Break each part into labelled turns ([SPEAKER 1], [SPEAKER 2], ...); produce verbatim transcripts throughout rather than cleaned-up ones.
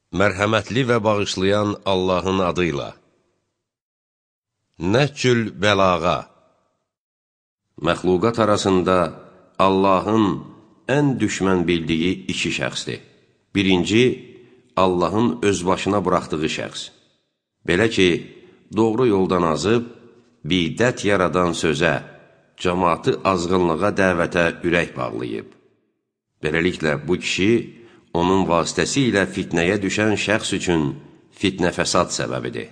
[SPEAKER 1] Mərhəmətli və bağışlayan Allahın adıyla. Nəhcül bəlağa. Məxluqat arasında Allahın ən düşmən bildiyi iki şəxsdir. Birinci, Allahın öz başına buraxdığı şəxs. Belə ki, doğru yoldan azıb, bidət yaradan sözə, cəmaatı azğınlığa dəvətə ürək bağlayıb. Beləliklə, bu kişi, onun vasitəsilə fitnəyə düşən şəxs üçün fitnə fəsad səbəbidir.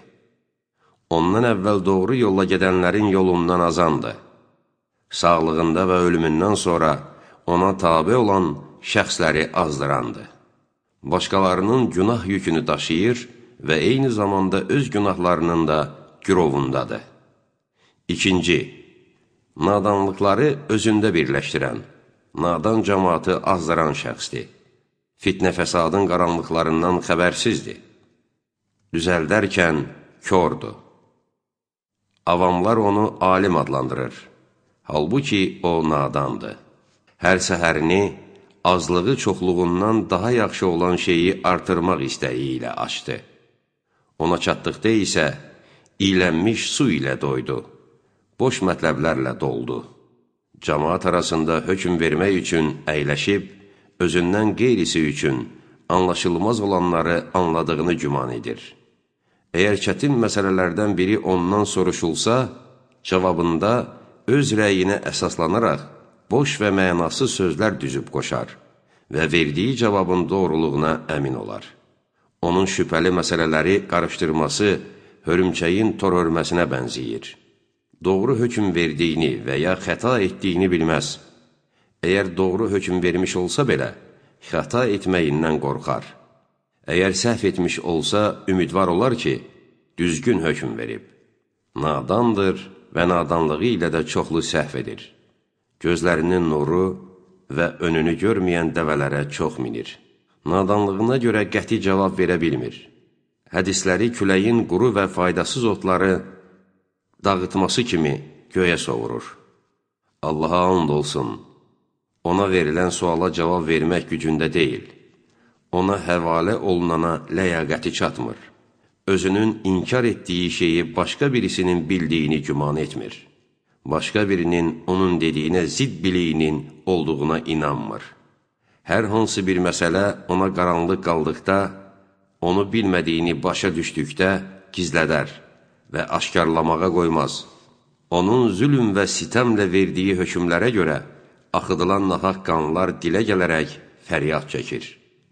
[SPEAKER 1] Ondan əvvəl doğru yolla gedənlərin yolundan azandı. Sağlığında və ölümündən sonra ona tabe olan şəxsləri azdırandı. Başqalarının günah yükünü daşıyır və eyni zamanda öz günahlarının da gürovundadır. İkinci, nadanlıqları özündə birləşdirən, nadan cəmaatı azdıran şəxsdir. Fitnə fəsadın qaranlıqlarından xəbərsizdir. Düzəldərkən kördür. Avamlar onu alim adlandırır. Halbuki o nadandır. Hər səhərini azlığı çoxluğundan daha yaxşı olan şeyi artırmaq istəyi ilə açdı. Ona çatdıqda isə iylənmiş su ilə doydu. Boş mətləblərlə doldu. Cəmaat arasında hökm vermək üçün əyləşib, özündən qeyrisi üçün anlaşılmaz olanları anladığını güman edir. Əgər çətin məsələlərdən biri ondan soruşulsa, cavabında öz rəyinə əsaslanaraq boş və mənasız sözlər düzüb qoşar və verdiyi cavabın doğruluğuna əmin olar. Onun şübhəli məsələləri qarışdırması hörümçəyin tor hörməsinə bənziyir. Doğru hökm verdiyini və ya xəta etdiyini bilməz. Əgər doğru hökm vermiş olsa belə, xəta etməyindən qorxar. Əgər səhv etmiş olsa, ümidvar olar ki, düzgün hökm verib. Nadandır və nadanlığı ilə də çoxlu səhv edir. Gözlərinin nuru və önünü görməyən dəvələrə çox minir. Nadanlığına görə qəti cavab verə bilmir. Hədisləri küləyin quru və faydasız otları dağıtması kimi göyə sovurur. Allaha and olsun. Ona verilən suala cavab vermək gücündə deyil. Ona həvalə olunana ləyaqəti çatmır. Özünün inkar etdiyi şeyi başqa birisinin bildiyini güman etmir. Başqa birinin onun dediyinə zidd biliyinin olduğuna inanmır. Hər hansı bir məsələ ona qaranlıq qaldıqda, onu bilmədiyini başa düşdükdə gizlədər və aşkarlamağa qoymaz. Onun zülm və sitəmlə verdiyi hökmlərə görə axıdılan nahaq qanlar dilə gələrək fəryad çəkir.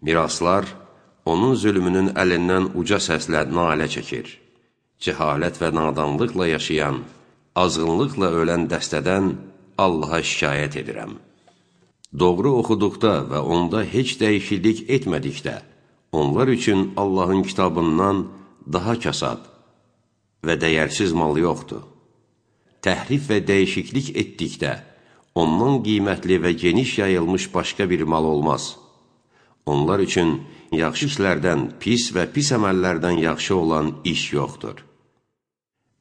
[SPEAKER 1] Miraslar onun zülmünün əlindən uca səslə nalə çəkir. Cəhalət və nadanlıqla yaşayan, azğınlıqla ölən dəstədən Allaha şikayət edirəm. Doğru oxuduqda və onda heç dəyişiklik etmədikdə, onlar üçün Allahın kitabından daha kasad və dəyərsiz mal yoxdur. Təhrif və dəyişiklik etdikdə, ondan qiymətli və geniş yayılmış başqa bir mal olmaz. Onlar üçün yaxşı işlərdən pis və pis əməllərdən yaxşı olan iş yoxdur.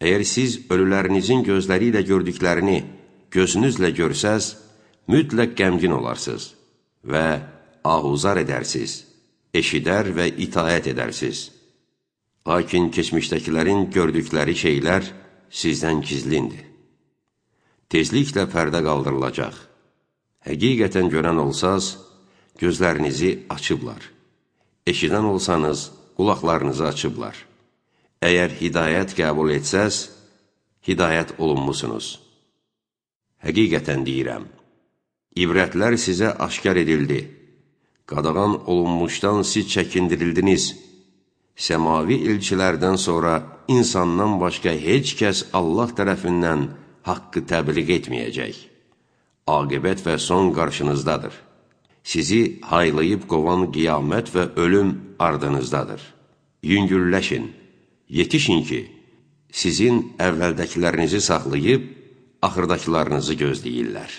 [SPEAKER 1] Əgər siz ölülərinizin gözləri ilə gördüklərini gözünüzlə görsəz, mütləq qəmgin olarsınız və ahuzar edərsiz, eşidər və itaət edərsiz. Lakin keçmişdəkilərin gördükləri şeylər sizdən gizlindir. Tezliklə pərdə qaldırılacaq. Həqiqətən görən olsaz, gözlərinizi açıblar. Eşidən olsanız, qulaqlarınızı açıblar. Əgər hidayət qəbul etsəz, hidayət olunmusunuz. Həqiqətən deyirəm, ibrətlər sizə aşkar edildi. Qadağan olunmuşdan siz çəkindirildiniz. Səmavi elçilərdən sonra insandan başqa heç kəs Allah tərəfindən haqqı təbliğ etməyəcək. Aqibət və son qarşınızdadır. Sizi haylayıb qovan qiyamət və ölüm ardınızdadır. Yüngülləşin, yetişin ki, sizin əvvəldəkilərinizi saxlayıb, axırdakılarınızı gözləyirlər.